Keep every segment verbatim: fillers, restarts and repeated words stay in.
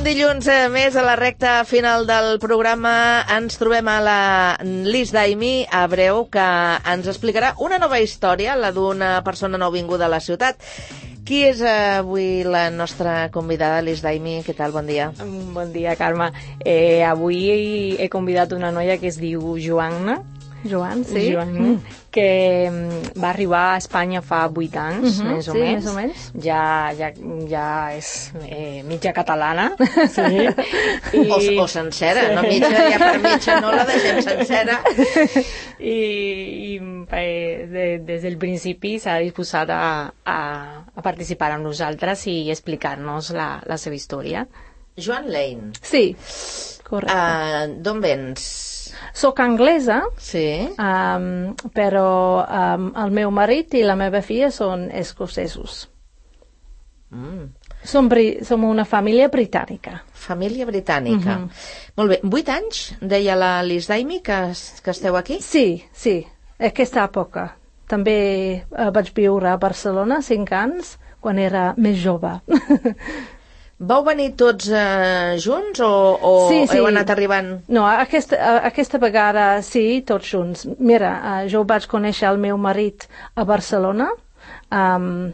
Dilluns eh, més a la recta final del programa ens trobem a la Lis Daimi a Breu, que ens explicarà una nova història, la d'una persona nouvinguda a la ciutat. Qui és eh, avui la nostra convidada, Lis Daimi? Què tal? Bon dia. Bon dia, Carme. Eh, avui he convidat una noia que es diu Joanna. Joan, sí. Joan, mm. que va arribar a Espanya fa vuit anys, uh-huh, més o sí, menys. més o menys. Ja, ja, ja és eh, mitja catalana. Sí. I... O, o sencera, sí. No mitja, ja per mitja no la deixem sencera. I, i eh, de, des del principi s'ha disposat a, a, a participar amb nosaltres i explicar-nos la, la seva història. Joan Lane. Sí, correcte. Uh, D'on vens? Soc anglesa, sí. um, però um, el meu marit i la meva filla són escocesos. Mm. Som, som una família britànica. Família britànica. Mm-hmm. Molt bé. Vuit anys, deia la Lis Daimi, que, que esteu aquí? Sí, sí. Aquesta època. També uh, vaig viure a Barcelona cinc anys, quan era més jove. Vau venir tots eh, junts o, o sí, sí. heu anat arribant? No, aquesta, aquesta vegada sí, tots junts. Mira, uh, jo vaig conèixer el meu marit a Barcelona um,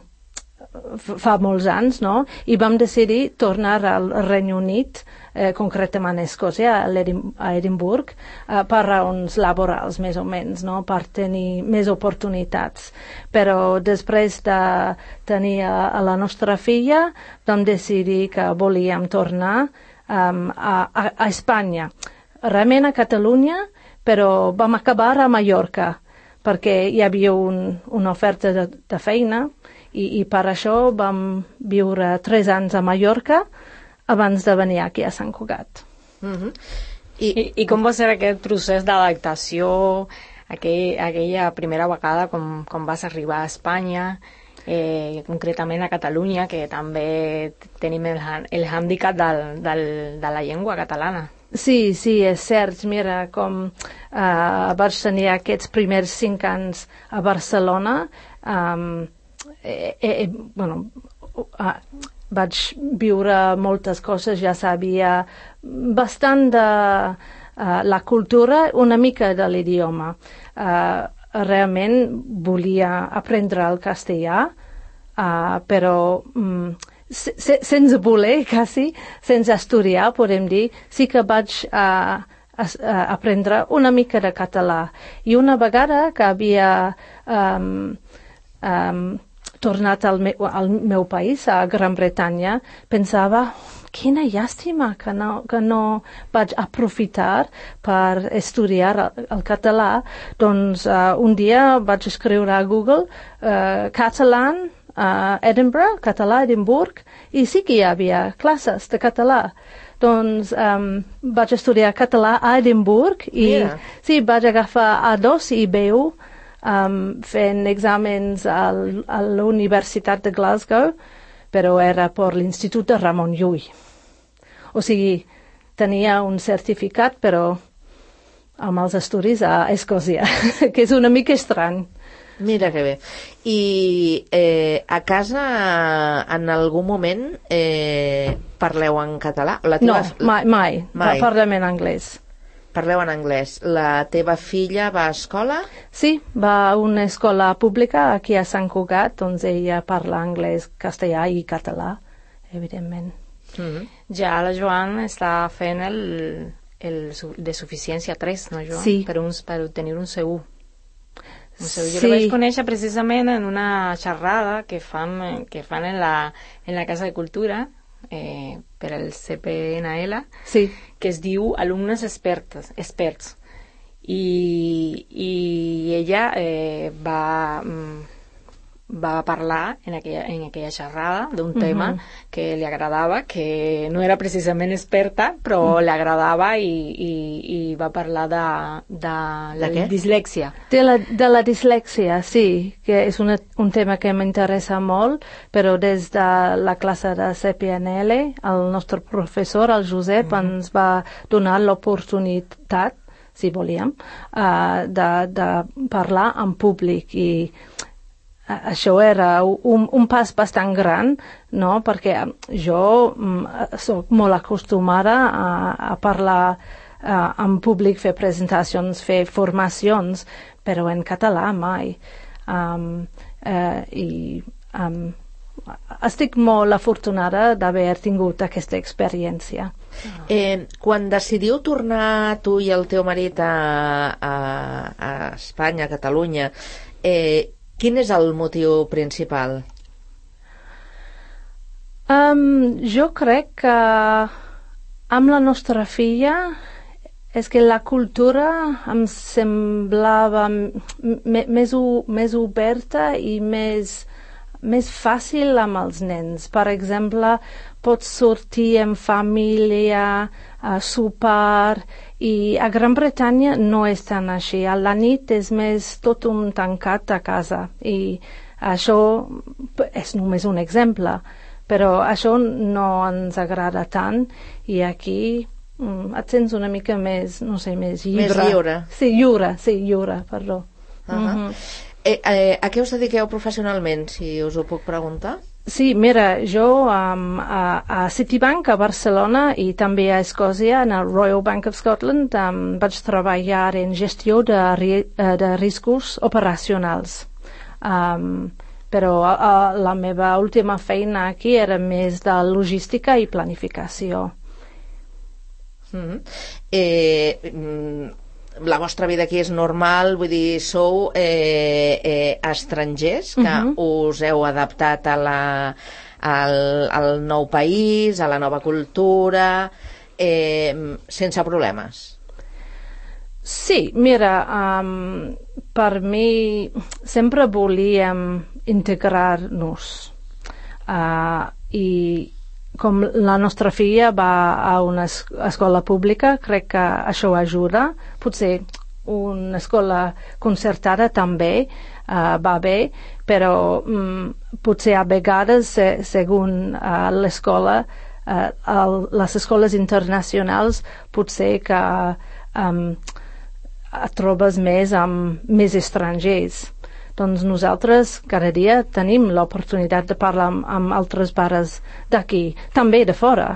fa molts anys, no? I vam decidir tornar al Regne Unit, eh, concretament a Escòcia, a Edimburg, eh, per raons laborals, més o menys, no? Per tenir més oportunitats. Però després de tenir a, a la nostra filla, vam decidir que volíem tornar um, a, a, a Espanya. Realment a Catalunya, però vam acabar a Mallorca, perquè hi havia un, una oferta de, de feina, I, i per això vam viure tres anys a Mallorca abans de venir aquí a Sant Cugat. Mm-hmm. I, I, I com va ser aquest procés d'adaptació, aquell, aquella primera vegada com, com vas arribar a Espanya, eh, concretament a Catalunya, que també tenim el, el hàndicap del, del, de la llengua catalana? Sí, sí, és cert. Mira, com uh, vaig tenir aquests primers cinc anys a Barcelona, um, Eh, eh, bueno, uh, vaig viure moltes coses, ja sabia bastant de uh, la cultura, una mica de l'idioma. Uh, realment volia aprendre el castellà, uh, però um, se, se, sense voler, quasi, sense estudiar, podem dir, sí que vaig uh, a, a aprendre una mica de català. I una vegada que havia um, um, tornat al, me, al meu país, a Gran Bretanya, pensava, quina llàstima que no, que no vaig aprofitar per estudiar el, el català. Doncs uh, un dia vaig escriure a Google uh, Catalan uh, Edinburgh, català Edimburg, i sí que hi havia classes de català. Doncs um, vaig estudiar català a Edimburg i yeah. sí, vaig agafar A dos i B u Um, fent exàmens al, a la Universitat de Glasgow, però era per l'Institut de Ramon Llull. O sigui, tenia un certificat, però amb els estudis a Escòcia, que és una mica estrany. Mira que bé. I eh, a casa, en algun moment, eh, parleu en català? La teva... No, mai, mai. mai. Parlem en anglès. Parleu en anglès. La teva filla va a escola? Sí, va a una escola pública aquí a Sant Cugat, doncs ella parla anglès, castellà i català, evidentment. Mm-hmm. Ja la Joan està fent el, el de suficiència tres, no, Joan? Sí. Per, uns, per obtenir un C u. Un C u. Jo sí. la vaig conèixer precisament en una xerrada que fan, que fan en, la, en la Casa de Cultura, eh, per al C P N L, sí. que es diu Alumnes Expertes, Experts. I, i ella eh, va, va parlar en aquella, en aquella xerrada d'un tema uh-huh. que li agradava, que no era precisament experta, però uh-huh. li agradava i, i, i va parlar de, de la de dislèxia. De la, de la dislèxia, sí, que és una, un tema que m'interessa molt, però des de la classe de C P N L, el nostre professor, el Josep, uh-huh. ens va donar l'oportunitat, si volíem, uh, de, de parlar en públic i això era un, un pas bastant gran, no? Perquè jo mm, soc molt acostumada a, a parlar uh, en públic, fer presentacions, fer formacions, però en català mai. Um, uh, I um, estic molt afortunada d'haver tingut aquesta experiència. Eh, quan decidiu tornar tu i el teu marit a, a, a Espanya, a Catalunya, eh, quin és el motiu principal? Um, jo crec que amb la nostra filla és que la cultura em semblava més, més oberta i més, més fàcil amb els nens. Per exemple, pots sortir en família, a sopar, i a Gran Bretanya no és tan així. A la nit és més tot un tancat a casa, i això és només un exemple, però això no ens agrada tant, i aquí mm, et sents una mica més, no sé, més lliure. Més lliure. Sí, lliure, sí, lliure, perdó. Uh-huh. Mm-hmm. eh, eh, a què us dediqueu professionalment, si us ho puc preguntar? Sí, mira, jo um, a, a Citibank a Barcelona i també a Escòcia, en el Royal Bank of Scotland, um, vaig treballar en gestió de, de riscos operacionals. Um, però uh, la meva última feina aquí era més de logística i planificació. Mm-hmm. Eh, mm, la vostra vida aquí és normal, vull dir, sou eh, eh, estrangers que uh-huh. us heu adaptat a la, al, al nou país, a la nova cultura, eh, sense problemes. Sí, mira, um, per mi sempre volíem integrar-nos uh, i com la nostra filla va a una escola pública, crec que això ajuda. Potser una escola concertada també uh, va bé, però um, potser a vegades, se, segons uh, l'escola, uh, el, les escoles internacionals, potser que um, et trobes més amb més estrangers. Doncs nosaltres cada dia tenim l'oportunitat de parlar amb, amb altres pares d'aquí, també de fora,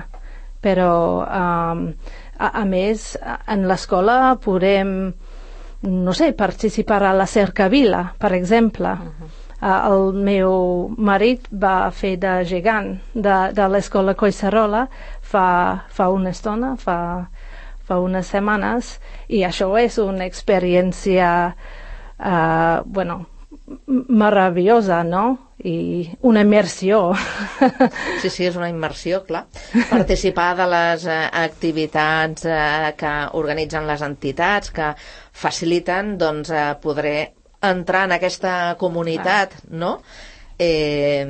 però um, a, a més en l'escola podem, no sé, participar a la cercavila, per exemple. Uh-huh. Uh, el meu marit va fer de gegant de, de l'escola Collserola fa, fa una estona, fa, fa unes setmanes, i això és una experiència uh, bueno, meravellosa, no? I una immersió. Sí, sí, és una immersió, clar. Participar de les eh, activitats eh, que organitzen les entitats, que faciliten, doncs, eh, poder entrar en aquesta comunitat, clar. No? Eh,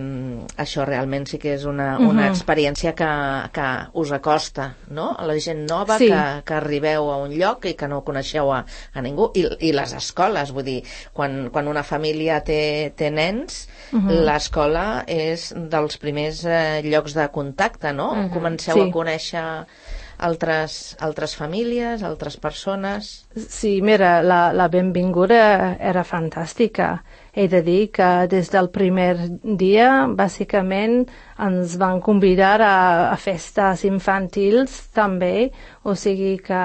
això realment sí que és una, una uh-huh. experiència que, que us acosta, no? A la gent nova, sí. que, que arribeu a un lloc i que no coneixeu a, a ningú, I, i les escoles, vull dir, quan, quan una família té, té nens, uh-huh. l'escola és dels primers eh, llocs de contacte, no? Uh-huh. Comenceu sí. a conèixer altres, altres famílies, altres persones. Sí, mira, la, la benvinguda era fantàstica. He de dir que des del primer dia, bàsicament, ens van convidar a, a festes infantils també, o sigui que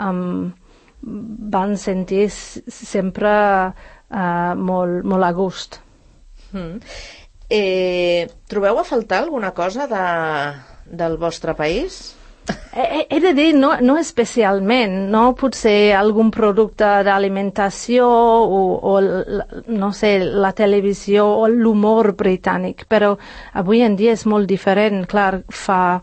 um, van sentir sempre uh, molt, molt a gust. Mm. Eh, trobeu a faltar alguna cosa de, del vostre país? He, he de dir, no, no especialment, no? Potser algun producte d'alimentació o, o, no sé, la televisió o l'humor britànic, però avui en dia és molt diferent. Clar, fa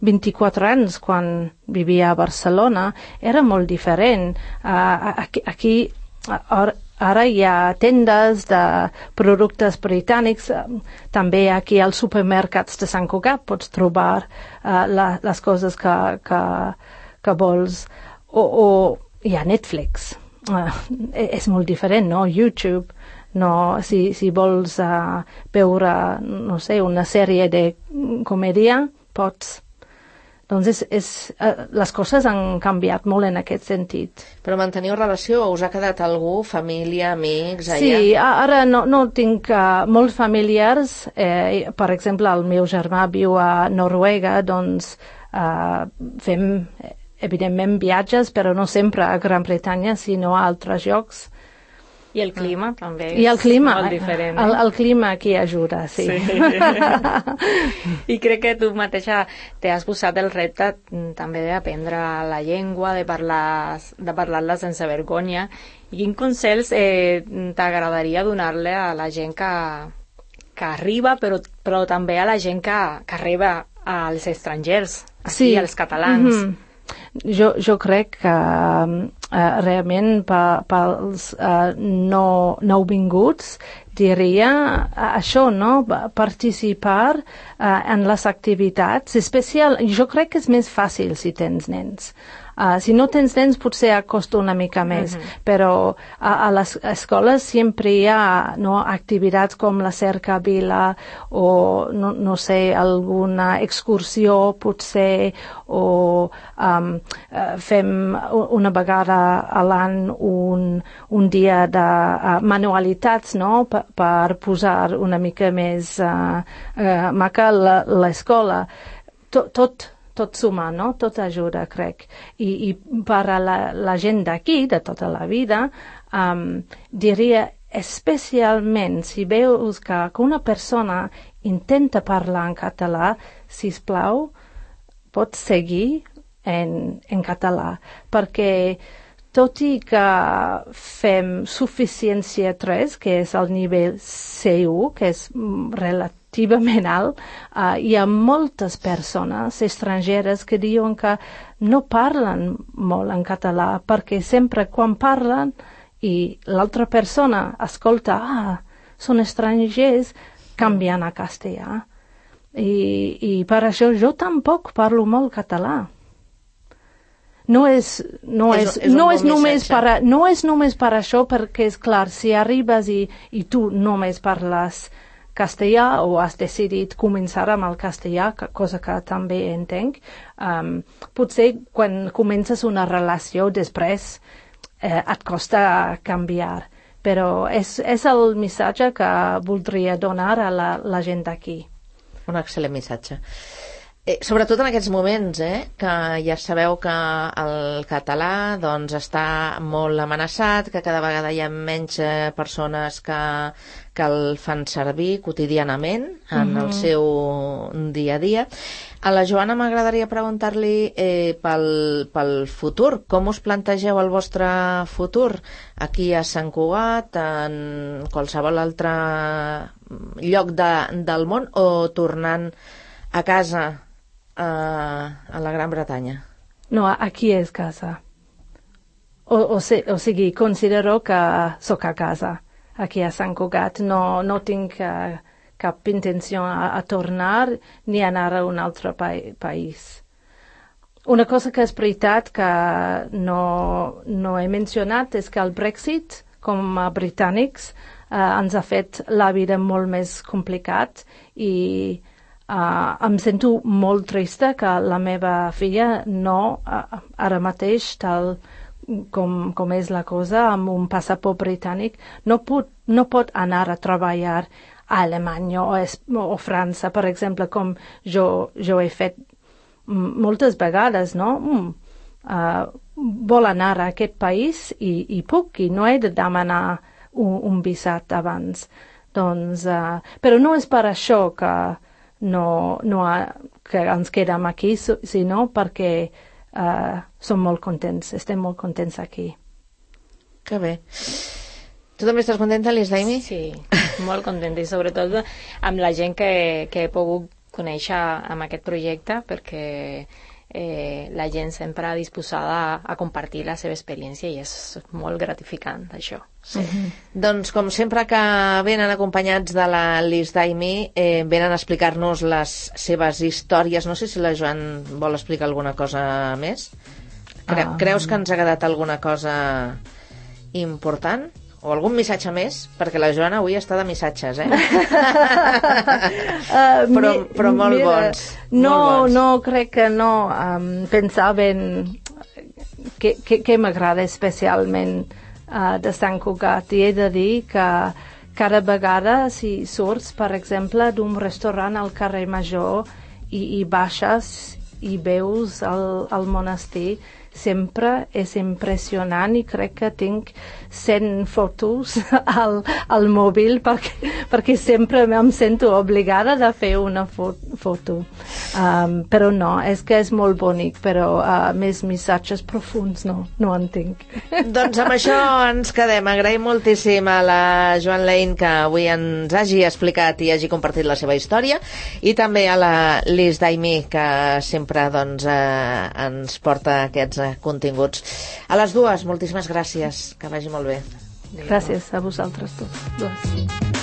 vint-i-quatre anys, quan vivia a Barcelona, era molt diferent. Uh, aquí, aquí ara hi ha tendes de productes britànics, també aquí als supermercats de Sant Cugat pots trobar uh, la, les coses que, que, que vols, o, o hi ha Netflix, uh, és molt diferent, no? YouTube, no? Si, si vols uh, veure, no sé, una sèrie de comèdia, pots. Doncs és, és, eh, les coses han canviat molt en aquest sentit. Però manteniu relació? Us ha quedat algú, família, amics, allà? Sí, ara no, no tinc uh, molts familiars. Eh, per exemple, el meu germà viu a Noruega, doncs uh, fem, evidentment, viatges, però no sempre a Gran Bretanya, sinó a altres llocs. I el clima ah. també és I el clima, molt diferent. Eh? El, el clima aquí ajuda, sí. sí. I crec que tu mateixa t'has posat el repte també d'aprendre la llengua, de parlar de parlar-la sense vergonya. I quins consells eh, t'agradaria donar-li a la gent que, que arriba, però, però també a la gent que, que arriba als estrangers, aquí, sí. als catalans? Mm-hmm. Jo, jo crec que uh, realment pels uh, no, nouvinguts diria uh, això, no? Participar uh, en les activitats, especial, jo crec que és més fàcil si tens nens. Uh, si no tens nens potser costa una mica més, uh-huh. però a, a les escoles sempre hi ha, no, activitats com la cercavila o no, no sé, alguna excursió potser, o um, uh, fem una vegada a l'any un, un dia de uh, manualitats, no? per, per posar una mica més uh, uh, maca l'escola. Tot, tot tot suma, no? Tot ajuda, crec. I, i per a la, la gent d'aquí, de tota la vida, um, diria especialment si veus que, que una persona intenta parlar en català, sisplau, pots seguir en, en català, perquè tot i que fem suficiència tres, que és el nivell C u, que és relatiu, relativament alt, uh, hi ha moltes persones estrangeres que diuen que no parlen molt en català, perquè sempre quan parlen i l'altra persona escolta, ah, són estrangers, canvien a castellà. I, i per això jo tampoc parlo molt català. No és, no és, és, és no, és només per a, no és només per això, perquè és clar, si arribes i, i tu només parles castellà o has decidit començar amb el castellà, cosa que també entenc, um, potser quan comences una relació després eh, et costa canviar, però és, és el missatge que voldria donar a la, la gent d'aquí. Un excel·lent missatge. Eh, sobretot en aquests moments, eh, que ja sabeu que el català doncs, està molt amenaçat, que cada vegada hi ha menys eh, persones que, que el fan servir quotidianament en mm-hmm. el seu dia a dia. A la Joana m'agradaria preguntar-li eh, pel, pel futur. Com us plantegeu el vostre futur? Aquí a Sant Cugat, en qualsevol altre lloc de, del món, o tornant a casa a, a la Gran Bretanya? No, aquí és casa. O, o, se, o sigui, considero que sóc a casa, aquí a Sant Cugat. No, no tinc uh, cap intenció a, a tornar ni anar a un altre pa país. Una cosa que és veritat que no, no he mencionat és que el Brexit, com a britànics, uh, ens ha fet la vida molt més complicat i Uh, em sento molt trista que la meva filla no, uh, ara mateix, tal com, com és la cosa, amb un passaport britànic, no pot, no pot anar a treballar a Alemanya o, es, o França, per exemple, com jo, jo he fet moltes vegades, no? Mm, uh, vol anar a aquest país i, i puc, i no he de demanar un, un visat abans. Doncs, uh, però no és per això que no, no ha, que ens quedem aquí, sinó perquè uh, som molt contents, estem molt contents aquí. Que bé. Tu també estàs contenta, Liz Daimi? Sí, molt contenta, i sobretot amb la gent que, que he pogut conèixer amb aquest projecte, perquè eh, la gent sempre disposada a compartir la seva experiència i és molt gratificant, això. Sí. Mm-hmm. Doncs, com sempre que venen acompanyats de la Liz Daimi, eh, venen a explicar-nos les seves històries. No sé si la Joan vol explicar alguna cosa més. Cre um... Creus que ens ha quedat alguna cosa important? O algun missatge més? Perquè la Joana avui està de missatges, eh? uh, però, però molt mira, bons. No, molt bons. No, crec que no. Um, pensaven que, que, que m'agrada especialment uh, de Sant Cugat. I he de dir que cada vegada si surts, per exemple, d'un restaurant al carrer Major i, i baixes i veus el, el monestir, sempre és impressionant i crec que tinc cent fotos al, al mòbil perquè, perquè sempre em sento obligada de fer una fo foto. Um, però no, és que és molt bonic, però uh, més missatges profuns no, no en tinc. Doncs amb això ens quedem. Agraïm moltíssim a la Joan Lane que avui ens hagi explicat i hagi compartit la seva història, i també a la Liz Daimi que sempre doncs, eh, ens porta aquests continguts. A les dues, moltíssimes gràcies, que vagi molt bé. Gràcies a vosaltres tots.